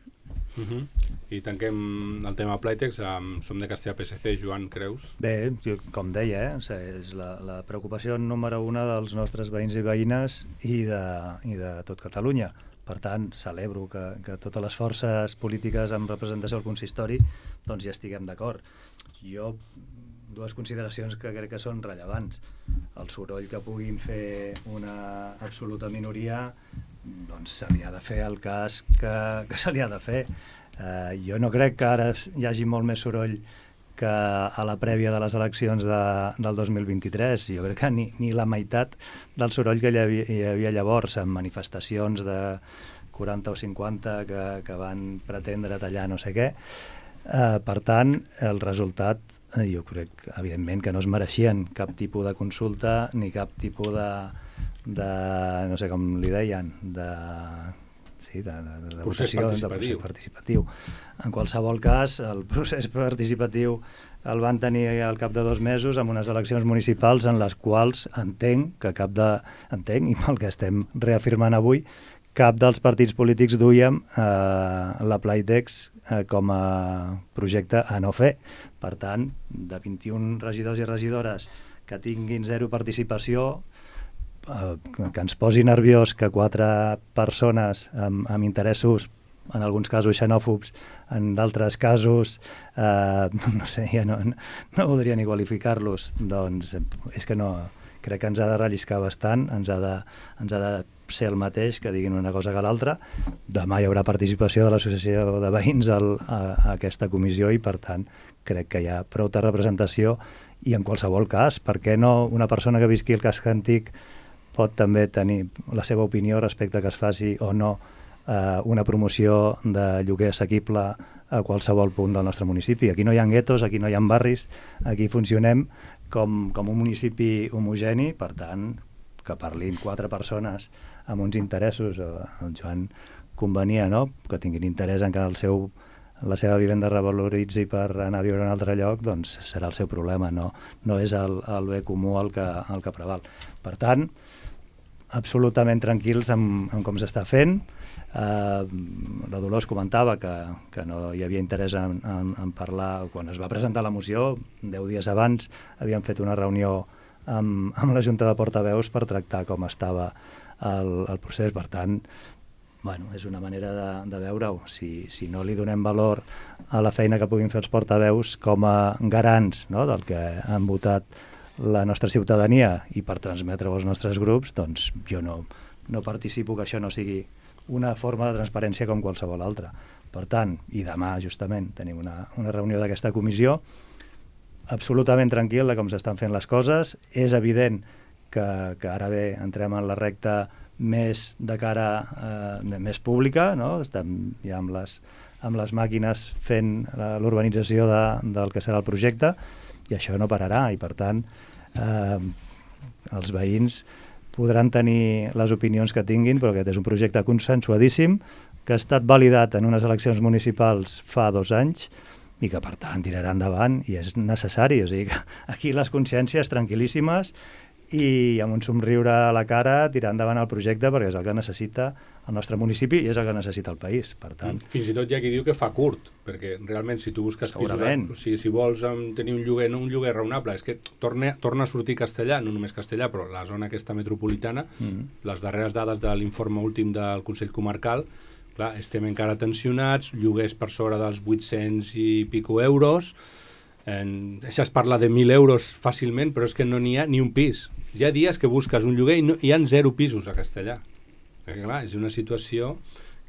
I tanquem el tema Playtex. Som de Castellà PSC, Joan Creus. Bé, com deia, és la preocupació número 1 dels nostres veïns i veïnes i de tot Catalunya. Per tant, celebro que totes les forces polítiques amb representació al consistori doncs hi estiguem d'acord. Jo, 2 consideracions que crec que són rellevants. El soroll que puguin fer una absoluta minoria, doncs se li ha de fer el cas que se li ha de fer. Jo no crec que ara hi hagi molt més soroll que a la prèvia de les eleccions del 2023. Jo crec que ni la meitat del soroll que hi havia llavors, en manifestacions de 40 o 50 que van pretendre tallar no sé què. Per tant, el resultat, jo crec, evidentment, que no es mereixien cap tipus de consulta ni cap tipus de no sé com li deien, de procés participatiu. En qualsevol cas, el procés participatiu el van tenir al cap de 2 mesos amb unes eleccions municipals en les quals entenc, i pel que estem reafirmant avui, cap dels partits polítics duíem la Playtex com a projecte a no fer. Per tant, de 21 regidors i regidores que tinguin 0 participació, que ens posi nerviós que 4 persones amb interessos en alguns casos xenòfobs, en d'altres casos, no sé, ja no voldria ni qualificar-los, doncs és que no, crec que ens ha de relliscar bastant, ens ha de ser el mateix, que diguin una cosa que l'altra. Demà hi haurà participació de l'associació de veïns a aquesta comissió i, per tant, crec que hi ha prou de representació i en qualsevol cas, per què no una persona que visqui al casc antic pot també tenir la seva opinió respecte a que es faci o no una promoció de lloguer assequible a qualsevol punt del nostre municipi. Aquí no hi ha guetos, aquí no hi ha barris, aquí funcionem com un municipi homogeni, per tant, que parlin 4 persones amb uns interessos, el Joan convenia, no?, que tinguin interès en que la seva vivenda revaloritzi per anar a viure en un altre lloc, doncs serà el seu problema, no és el bé comú el que preval. Per tant, absolutament tranquils amb com s'està fent. La Dolors comentava que no hi havia interès en parlar. Quan es va presentar la moció, 10 dies abans, havíem fet una reunió amb la Junta de Portaveus per tractar com estava el procés. Per tant, bueno, és una manera de veure-ho. Si no li donem valor a la feina que puguin fer els portaveus com a garants, no?, del que han votat la nostra ciutadania i per transmetre-ho als nostres grups, doncs jo no participo que això no sigui una forma de transparència com qualsevol altra. Per tant, i demà justament tenim una reunió d'aquesta comissió, absolutament tranquil de com s'estan fent les coses. És evident que ara bé entrem en la recta més de cara més pública, no? Estem ja amb les màquines fent l'urbanització del que serà el projecte i això no pararà i per tant els veïns podran tenir les opinions que tinguin, però aquest és un projecte consensuadíssim que ha estat validat en unes eleccions municipals fa 2 anys i que per tant tirarà endavant i és necessari. O sigui que aquí les consciències tranquil·líssimes i amb un somriure a la cara tirar endavant el projecte perquè és el que necessita el nostre municipi i és el que necessita el país. Per tant, fins i tot hi ha qui diu que fa curt, perquè realment si tu busques pisos, o sigui, si vols tenir un lloguer raonable, és que torna a sortir castellà, no només castellà, però la zona aquesta metropolitana, les darreres dades de l'informe últim del Consell Comarcal, clar, estem encara tensionats, lloguers per sobre dels 800 i pico euros, això es parla de 1.000 euros fàcilment, però és que no n'hi ha ni un pis. Hi ha dies que busques un lloguer i hi ha 0 pisos a Castellà. Perquè, clar, és una situació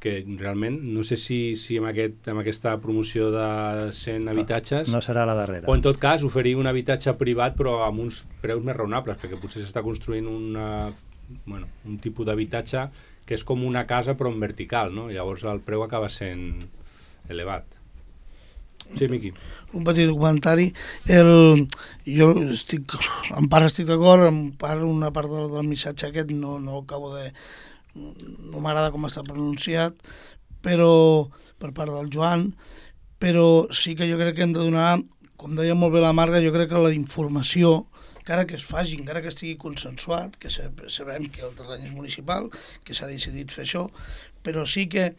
que realment no sé si amb aquesta promoció de 100 habitatges... No serà la darrera. O en tot cas oferir un habitatge privat però amb uns preus més raonables, perquè potser s'està construint un tipus d'habitatge que és com una casa però en vertical, no? Llavors el preu acaba sent elevat. Sí, Miqui. Un petit comentari. Jo en part estic d'acord, en part una part del missatge aquest no acabo de... no m'agrada com està pronunciat, però per part del Joan, però sí que jo crec que hem de donar, com deia molt bé la Marga, jo crec que la informació, encara que es faci, encara que estigui consensuat, que sabem que el terreny és municipal, que s'ha decidit fer això, però sí que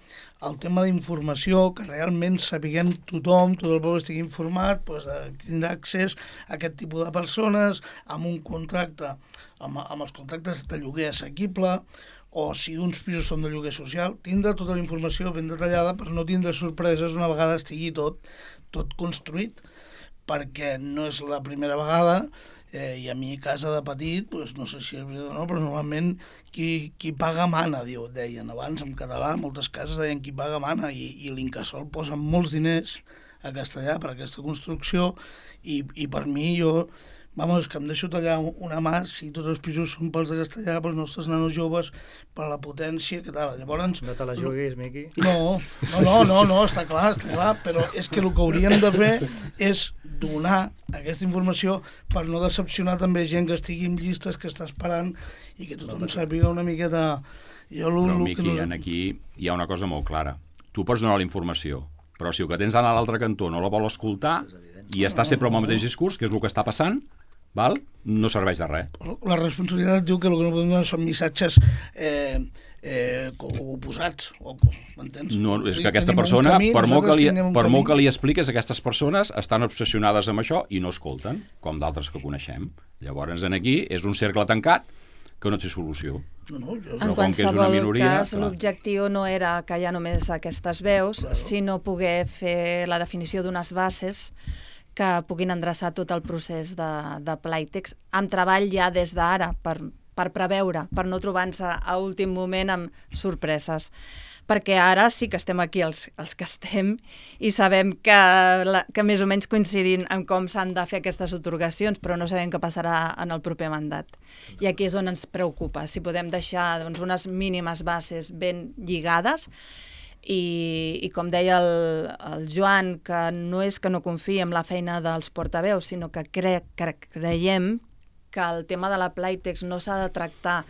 el tema d'informació, que realment sapiguem tothom, tot el poble estigui informat, doncs tindrà accés a aquest tipus de persones, amb un contracte, amb els contractes de lloguer assequible, o si uns pisos són de lloguer social, tindre tota la informació ben detallada per no tindre sorpreses una vegada estigui tot construït, perquè no és la primera vegada, i a mi a casa de petit, doncs, no sé si és veritat o no, però normalment qui paga mana, deien abans en català, moltes cases deien qui paga mana, i l'Incasòl posa molts diners a Castellà per aquesta construcció, i per mi és que em deixo tallar una mà si tots els pisos són pels de Castellà, pels nostres nanos joves, per la potència, que tal. Llavors... No te la juguis, Miqui. No, està clar, però és que el que hauríem de fer és donar aquesta informació per no decepcionar també gent que estigui en llistes, que està esperant i que tothom sàpiga una miqueta... Però, Miqui, aquí hi ha una cosa molt clara. Tu pots donar la informació, però si el que tens a l'altre cantó no la vol escoltar i està sempre amb el mateix discurs, que és el que està passant, no serveix de res. La responsabilitat diu que el que no podem donar són missatges oposats, m'entens? No, és que aquesta persona, per molt que li expliques, aquestes persones estan obsessionades amb això i no escolten, com d'altres que coneixem. Llavors, aquí és un cercle tancat que no té solució. En qualsevol cas, l'objectiu no era que hi ha només aquestes veus, sinó poder fer la definició d'unes bases que puguin endreçar tot el procés de Playtex amb treball ja des d'ara, per preveure, per no trobar-nos a últim moment amb sorpreses. Perquè ara sí que estem aquí els que estem i sabem que més o menys coincidim en com s'han de fer aquestes atorgacions, però no sabem què passarà en el proper mandat. I aquí és on ens preocupa, si podem deixar unes mínimes bases ben lligades i com deia el Joan, que no és que no confiï en la feina dels portaveus, sinó que creiem que el tema de la Playtex no s'ha de tractar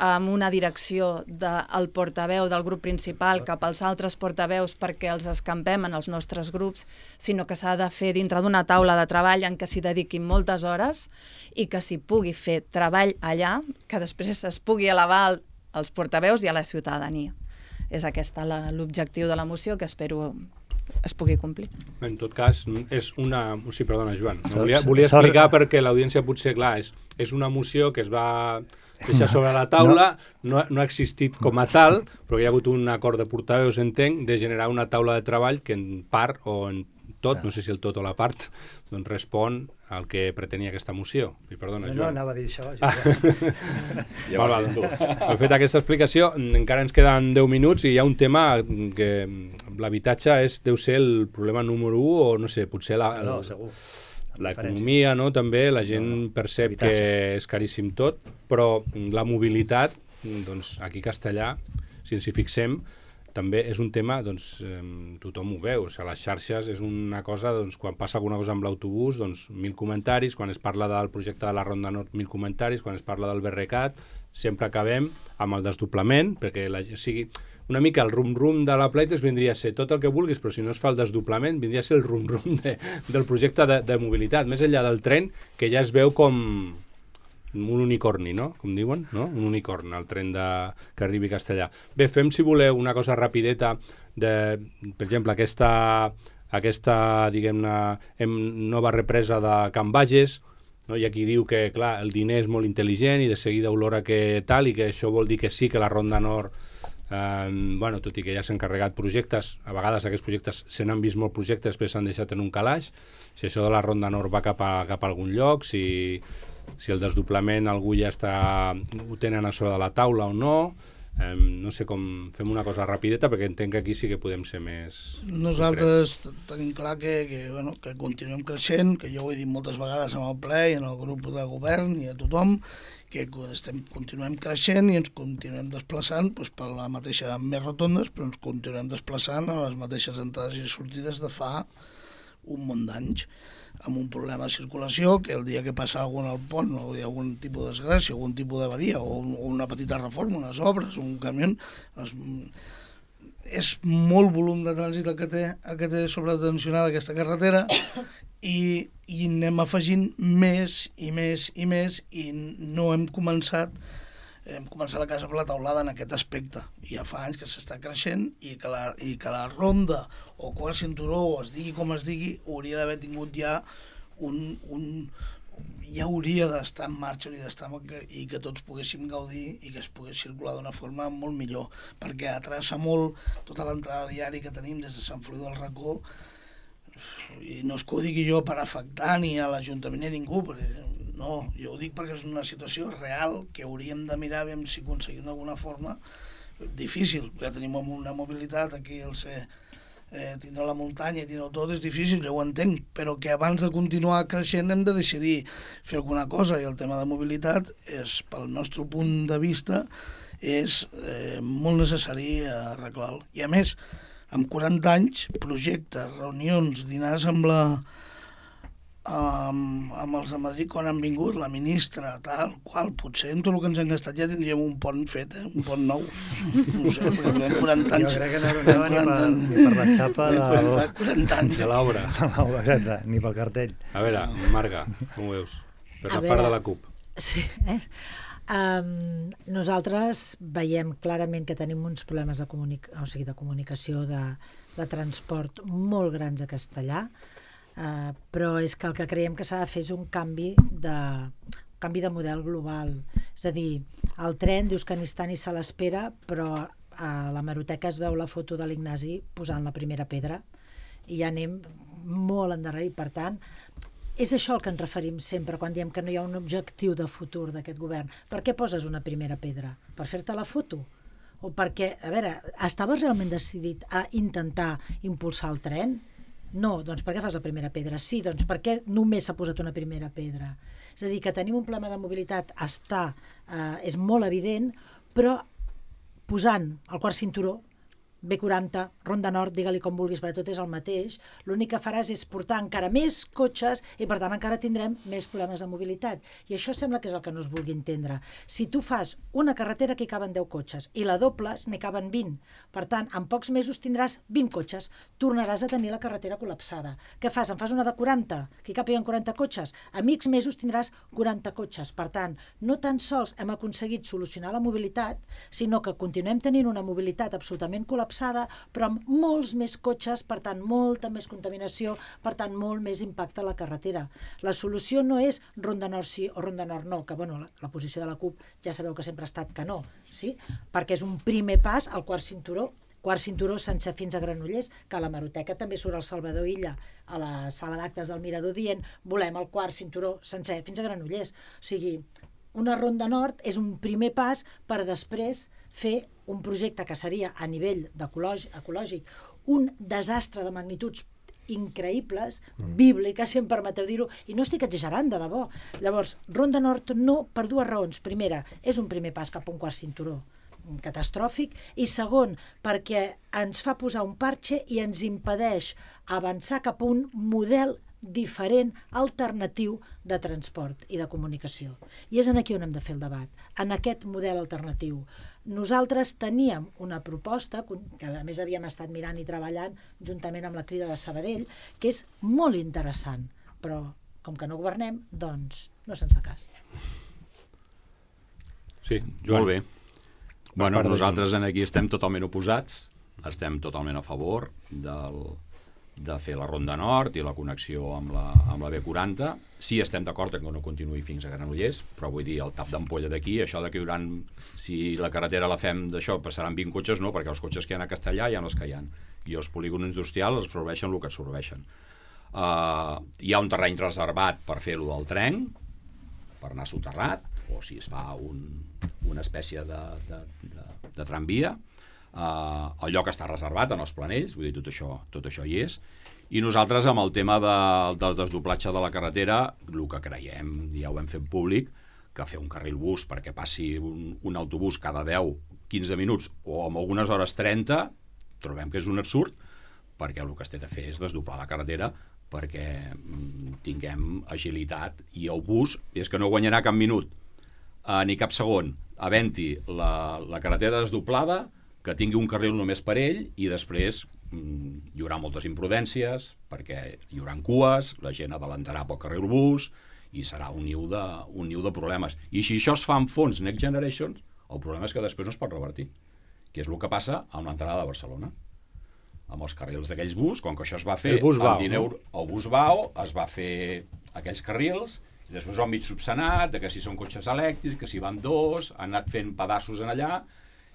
amb una direcció del portaveu del grup principal cap als altres portaveus perquè els escampem en els nostres grups, sinó que s'ha de fer dintre d'una taula de treball en què s'hi dediquin moltes hores i que s'hi pugui fer treball allà, que després es pugui elevar als portaveus i a la ciutadania. És aquest l'objectiu de la moció, que espero es pugui complir. En tot cas, és una... Sí, perdona, Joan. Volia explicar perquè l'audiència potser, clar, és una moció que es va deixar sobre la taula, no ha existit com a tal, però hi ha hagut un acord de portaveus, entenc, de generar una taula de treball que en part o en tot, no sé si el tot o la part, doncs respon al que pretenia aquesta moció. I perdona, Joan. No, anava a dir això. He fet aquesta explicació, encara ens queden 10 minuts i hi ha un tema que l'habitatge deu ser el problema número 1 o no sé, potser segur. L'economia, no? També la gent percep que és caríssim tot, però la mobilitat, doncs aquí a Castellà, si ens hi fixem, també és un tema, doncs tothom ho veu, a les xarxes és una cosa, doncs quan passa alguna cosa amb l'autobús, doncs 1.000 comentaris, quan es parla del projecte de la Ronda Nord 1.000 comentaris, quan es parla del BRCAT, sempre acabem amb el desdoblament, perquè una mica el rum-rum de la Playtex vindria a ser tot el que vulguis, però si no es fa el desdoblament, vindria a ser el rum-rum del projecte de mobilitat, més enllà del tren, que ja es veu com un unicorni, no? Com diuen, no? Un unicorn, el tren que arribi a Castellà. Bé, fem, si voleu, una cosa rapideta per exemple, aquesta diguem-ne, nova represa de Can Bages, no? Hi ha qui diu que, clar, el diner és molt intel·ligent i de seguida olora que tal, i que això vol dir que sí que la Ronda Nord tot i que ja s'han carregat projectes, a vegades aquests projectes se n'han vist molts projectes, després s'han deixat en un calaix, si això de la Ronda Nord va cap a algun lloc, si el desdoblament algú ja ho tenen a sobre de la taula o no, no sé com fem una cosa rapideta perquè entenc que aquí sí que podem ser més nosaltres tenim clar que continuem creixent, que jo ho he dit moltes vegades en el ple i en el grup de govern i a tothom, que continuem creixent i ens continuem desplaçant per la mateixa, més rotondes, però ens continuem desplaçant a les mateixes entrades i sortides de fa un munt d'anys, amb un problema de circulació que el dia que passa algun al pont o hi ha algun tipus de desgràcia, algun tipus d'avaria o una petita reforma, unes obres, un camió, és molt volum de trànsit el que té sobretensionada aquesta carretera i anem afegint més i més i més i no hem començat la casa per la taulada en aquest aspecte. I ja fa anys que s'està creixent i que la ronda o quart cinturó, o es digui com es digui, hauria d'haver tingut ja ja hauria d'estar en marxa i que tots poguéssim gaudir i que es pogués circular d'una forma molt millor, perquè atrassa molt tota l'entrada diària que tenim des de Sant Feliu del Racó, i no és que ho digui jo per afectar ni a l'Ajuntament ni a ningú, no, jo ho dic perquè és una situació real que hauríem de mirar si aconseguim d'alguna forma difícil, perquè tenim una mobilitat aquí tindre la muntanya i tindre tot és difícil, jo ho entenc, però que abans de continuar creixent hem de decidir fer alguna cosa, i el tema de mobilitat és, pel nostre punt de vista, és molt necessari arreglar-lo. I a més, amb 40 anys, projectes, reunions, dinars amb els de Madrid quan han vingut, la ministra, tal, qual, potser amb tot el que ens han gastat ja tindríem un pont fet, un pont nou. No sé, perquè tenim 40 anys. Jo crec que no anava ni per la xapa 40 anys. De l'obra. Ni pel cartell. A veure, Marga, com ho veus? Per la part de la CUP. Sí, nosaltres veiem clarament que tenim uns problemes de comunicació, de transport molt grans a Castellà, però és que el que creiem que s'ha de fer és un canvi canvi de model global. És a dir, el tren dius que ni està ni se l'espera, però a l'hemeroteca es veu la foto de l'Ignasi posant la primera pedra i ja anem molt endarrerit. Per tant, és això al que ens referim sempre quan diem que no hi ha un objectiu de futur d'aquest govern. Per què poses una primera pedra? Per fer-te la foto? O perquè, a veure, estaves realment decidit a intentar impulsar el tren? No, doncs per què fas la primera pedra? Sí, doncs per què només s'ha posat una primera pedra? És a dir, que tenim un problema de mobilitat és molt evident, però posant el quart cinturó, B40, Ronda Nord, digue-li com vulguis, perquè tot és el mateix, l'únic que faràs és portar encara més cotxes i per tant encara tindrem més problemes de mobilitat. I això sembla que és el que no es vulgui entendre. Si tu fas una carretera que hi caben 10 cotxes i la dobles n'hi caben 20, per tant, en pocs mesos tindràs 20 cotxes, tornaràs a tenir la carretera col·lapsada. Què fas? En fas una de 40, que hi capien 40 cotxes? A mig mesos tindràs 40 cotxes. Per tant, no tan sols hem aconseguit solucionar la mobilitat, sinó que continuem tenint una mobilitat absolutament col·lapsada, però amb molts més cotxes, per tant, molta més contaminació, per tant, molt més impacte a la carretera. La solució no és Ronda Nord sí o Ronda Nord no, que bueno, la posició de la CUP ja sabeu que sempre ha estat que no, sí? Perquè és un primer pas al quart cinturó sencer fins a Granollers, que a l'hemeroteca també surt el Salvador Illa a la sala d'actes del Mirador dient volem el quart cinturó sencer fins a Granollers. O sigui, una Ronda Nord és un primer pas per després fer un projecte que seria a nivell ecològic un desastre de magnituds increïbles, bíbliques, si em permeteu dir-ho, i no estic exagerant, de debò. Llavors, Ronda Nord no, per dues raons. Primera, és un primer pas cap a un quart cinturó catastròfic, i segon, perquè ens fa posar un parxe i ens impedeix avançar cap a un model diferent, alternatiu de transport i de comunicació. I és aquí on hem de fer el debat, en aquest model alternatiu. Nosaltres teníem una proposta, que a més havíem estat mirant i treballant juntament amb la Crida de Sabadell, que és molt interessant, però com que no governem, doncs no se'ns fa cas. Sí, Joan. Molt bé. Bueno, nosaltres aquí estem totalment oposats, estem totalment a favor de fer la Ronda Nord i la connexió amb la B40. Sí, estem d'acord que no continuï fins a Granollers, però vull dir, el tap d'ampolla d'aquí, això que hi haurà, si la carretera la fem d'això, passaran 20 cotxes, no, perquè els cotxes que hi ha a Castellà hi ha els que hi ha. I els polígons industrials absorbeixen el que absorbeixen. Hi ha un terreny reservat per fer-lo del tren, per anar soterrat, o si es fa una espècie de tramvia. El lloc està reservat en els planells, vull dir, tot això hi és. I nosaltres, amb el tema del desdoblatge de la carretera, el que creiem, ja ho hem fet públic, que fer un carril bus perquè passi un autobús cada 10-15 minuts o amb algunes hores 30, trobem que és un absurd, perquè el que es té de fer és desdoblar la carretera perquè tinguem agilitat, i el bus és que no guanyarà cap minut ni cap segon havent-hi la carretera desdoblada, que tingui un carril només per ell, i després hi haurà moltes imprudències perquè hi haurà cues, la gent adelantarà pel carril bus i serà un niu de problemes. I si això es fa amb fons Next Generation, el problema és que després no es pot revertir, que és el que passa amb l'entrada de Barcelona. Amb els carrils d'aquells bus, com que això es va fer... El bus Vao, el bus Vao es va fer aquells carrils, i després ho han mig subsanat, que si són cotxes elèctrics, que si van dos, han anat fent pedaços en allà,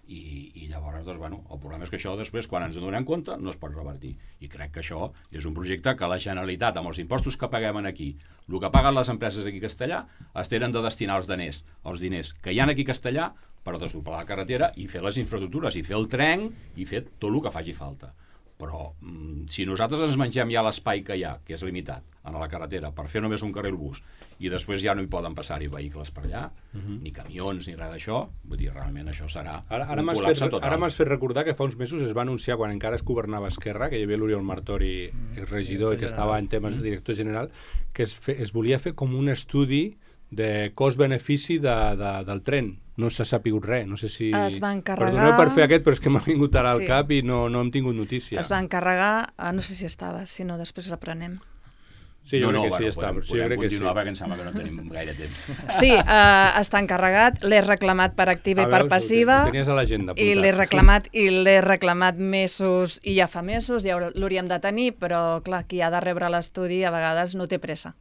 i llavors, doncs, bueno, el problema és que això després, quan ens en donem compte, no es pot revertir. I crec que això és un projecte que la Generalitat, amb els impostos que paguem aquí, el que paguen les empreses aquí a Castellà, es tenen de destinar els diners que hi ha aquí a Castellà per desdoblar la carretera i fer les infraestructures, i fer el tren, i fer tot el que faci falta. Però si nosaltres ens mengem ja l'espai que hi ha, que és limitat, a la carretera, per fer només un carril bus, i després ja no hi poden passar-hi vehicles per allà, ni camions, ni res d'això, vull dir, realment això serà un col·lapse total. Ara m'has fet recordar que fa uns mesos es va anunciar, quan encara es governava Esquerra, que hi havia l'Oriol Martori, el regidor, i que estava en temes de director general, que es volia fer com un estudi de cost-benefici del tren. No s'ha sapigut res, no sé si... Es va encarregar... Perdoneu per fer aquest, però és que m'ha vingut ara al cap i no hem tingut notícia. Es va encarregar, no sé si estava, si no, després reprenem. Sí, jo crec que sí, estava. Podem continuar perquè em sembla que no tenim gaire temps. Sí, està encarregat, l'he reclamat per activa i per passiva. Ho tenies a l'agenda apuntat. I l'he reclamat mesos, i ja fa mesos, ja l'hauríem de tenir, però clar, qui ha de rebre l'estudi a vegades no té pressa.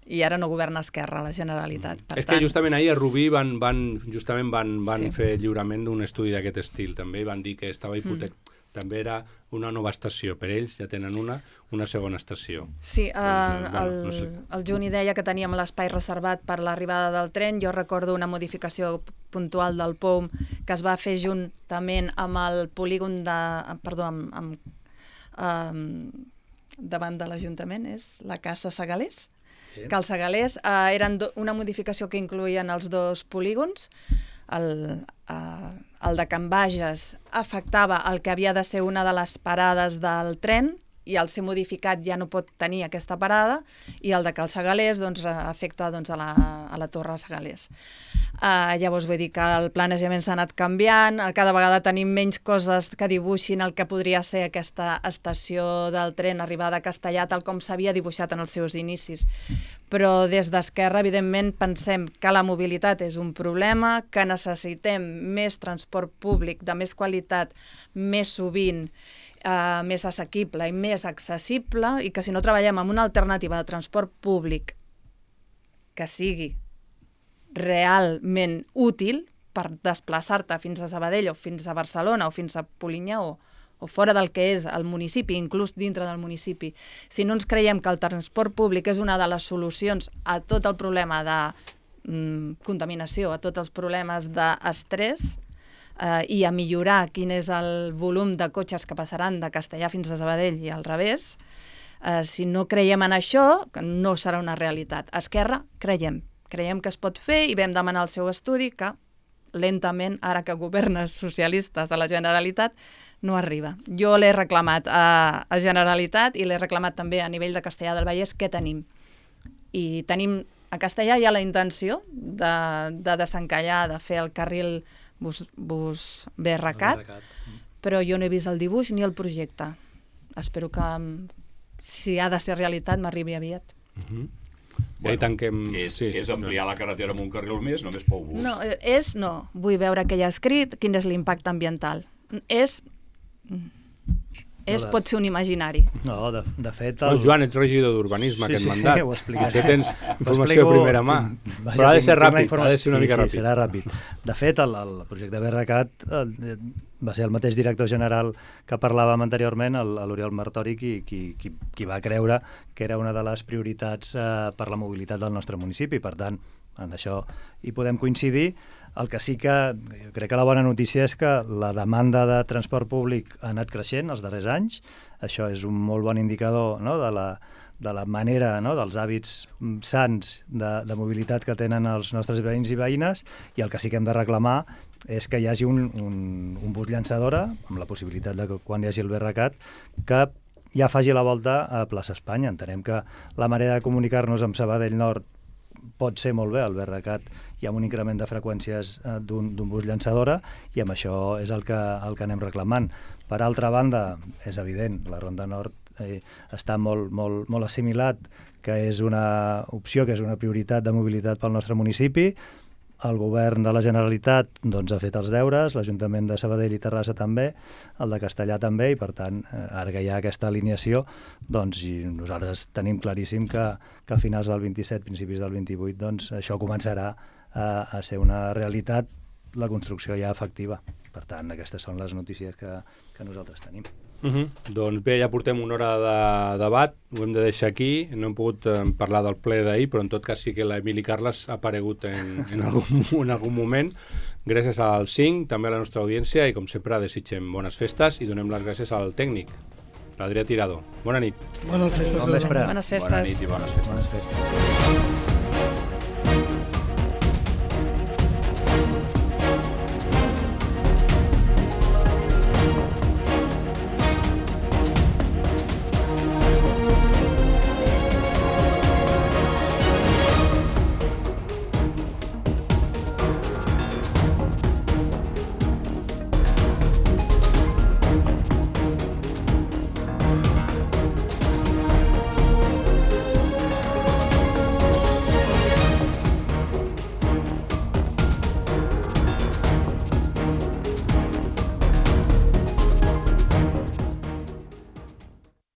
i ara no governa Esquerra, la Generalitat. Per És que justament ahir a Rubí van Sí. fer lliurament d'un estudi d'aquest estil, també, i van dir que estava també era una nova estació. Per ells ja tenen una segona estació. Sí, no sé. el Juni deia que teníem l'espai reservat per l'arribada del tren. Jo recordo una modificació puntual del POUM que es va fer juntament amb el polígon davant de l'Ajuntament, és la Casa Segalers. Sí. Que els Segalers eren una modificació que incloïen els dos polígons. El de Can Bages afectava el que havia de ser una de les parades del tren i al ser modificat ja no pot tenir aquesta parada, i el de Cal Segalers afecta a la Torre Segalers. Llavors vull dir que el planejament s'ha anat canviant, cada vegada tenim menys coses que dibuixin el que podria ser aquesta estació del tren arribada a Castellar, tal com s'havia dibuixat en els seus inicis. Però des d'Esquerra, evidentment, pensem que la mobilitat és un problema, que necessitem més transport públic de més qualitat, més sovint, més assequible i més accessible, i que si no treballem amb una alternativa de transport públic que sigui realment útil per desplaçar-te fins a Sabadell o fins a Barcelona o fins a Polinyà o fora del que és el municipi, inclús dintre del municipi, si no ens creiem que el transport públic és una de les solucions a tot el problema de contaminació, a tots els problemes d'estrès, i a millorar quin és el volum de cotxes que passaran de Castellar fins a Sabadell i al revés, si no creiem en això, no serà una realitat. Esquerra, creiem que es pot fer, i vam demanar el seu estudi, que lentament, ara que governes socialistes de la Generalitat, no arriba. Jo l'he reclamat a Generalitat i l'he reclamat també a nivell de Castellar del Vallès, què tenim. I tenim, a Castellar hi ha la intenció de desencallar, de fer el carril bus BRCAT, però jo no he vist el dibuix ni el projecte. Espero que, si ha de ser realitat, m'arribi aviat. És ampliar la carretera amb un carril més, només pel bus. No, vull veure què hi ha escrit, quin és l'impacte ambiental. Pot ser un imaginari. No, de fet... Joan, ets regidor d'urbanisme, aquest mandat. Sí, ho explicaré. Potser tens informació de primera mà. Però ha de ser ràpid, ha de ser una mica ràpid. Sí, serà ràpid. De fet, el projecte BRCAT va ser el mateix director general que parlàvem anteriorment, l'Oriol Martori, qui va creure que era una de les prioritats per la mobilitat del nostre municipi. Per tant, en això hi podem coincidir. El que sí que jo crec que la bona notícia és que la demanda de transport públic ha anat creixent els darrers anys. Això és un molt bon indicador, no?, de la manera, no?, dels hàbits sants de mobilitat que tenen els nostres veïns i veïnes, i el que sí que hem de reclamar és que hi hagi un bus llançadora, amb la possibilitat de que quan hi hagi el BRCAT, que ja faci la volta a plaça Espanya. Entenem que la manera de comunicar-nos amb Sabadell Nord pot ser molt bé, el BRCAT hi ha un increment de freqüències d'un bus llançadora, i amb això és el que anem reclamant. Per altra banda, és evident, la Ronda Nord està molt assimilat, que és una opció, que és una prioritat de mobilitat pel nostre municipi. El govern de la Generalitat ha fet els deures, l'Ajuntament de Sabadell i Terrassa també, el de Castellar també, i per tant, ara que hi ha aquesta alineació, i nosaltres tenim claríssim que a finals del 27, principis del 28, això començarà a ser una realitat, la construcció ja efectiva. Per tant, aquestes són les notícies que nosaltres tenim. Doncs bé, ja portem una hora de debat, ho hem de deixar aquí. No hem pogut parlar del ple d'ahir, però en tot cas sí que l'Emili Carles ha aparegut en algun moment. Gràcies al 5, també a la nostra audiència, i com sempre desitgem bones festes i donem les gràcies al tècnic, l'Adrià Tirado. Bona nit. Bones festes. Bon vespre. Bones festes. Bona nit i bones festes.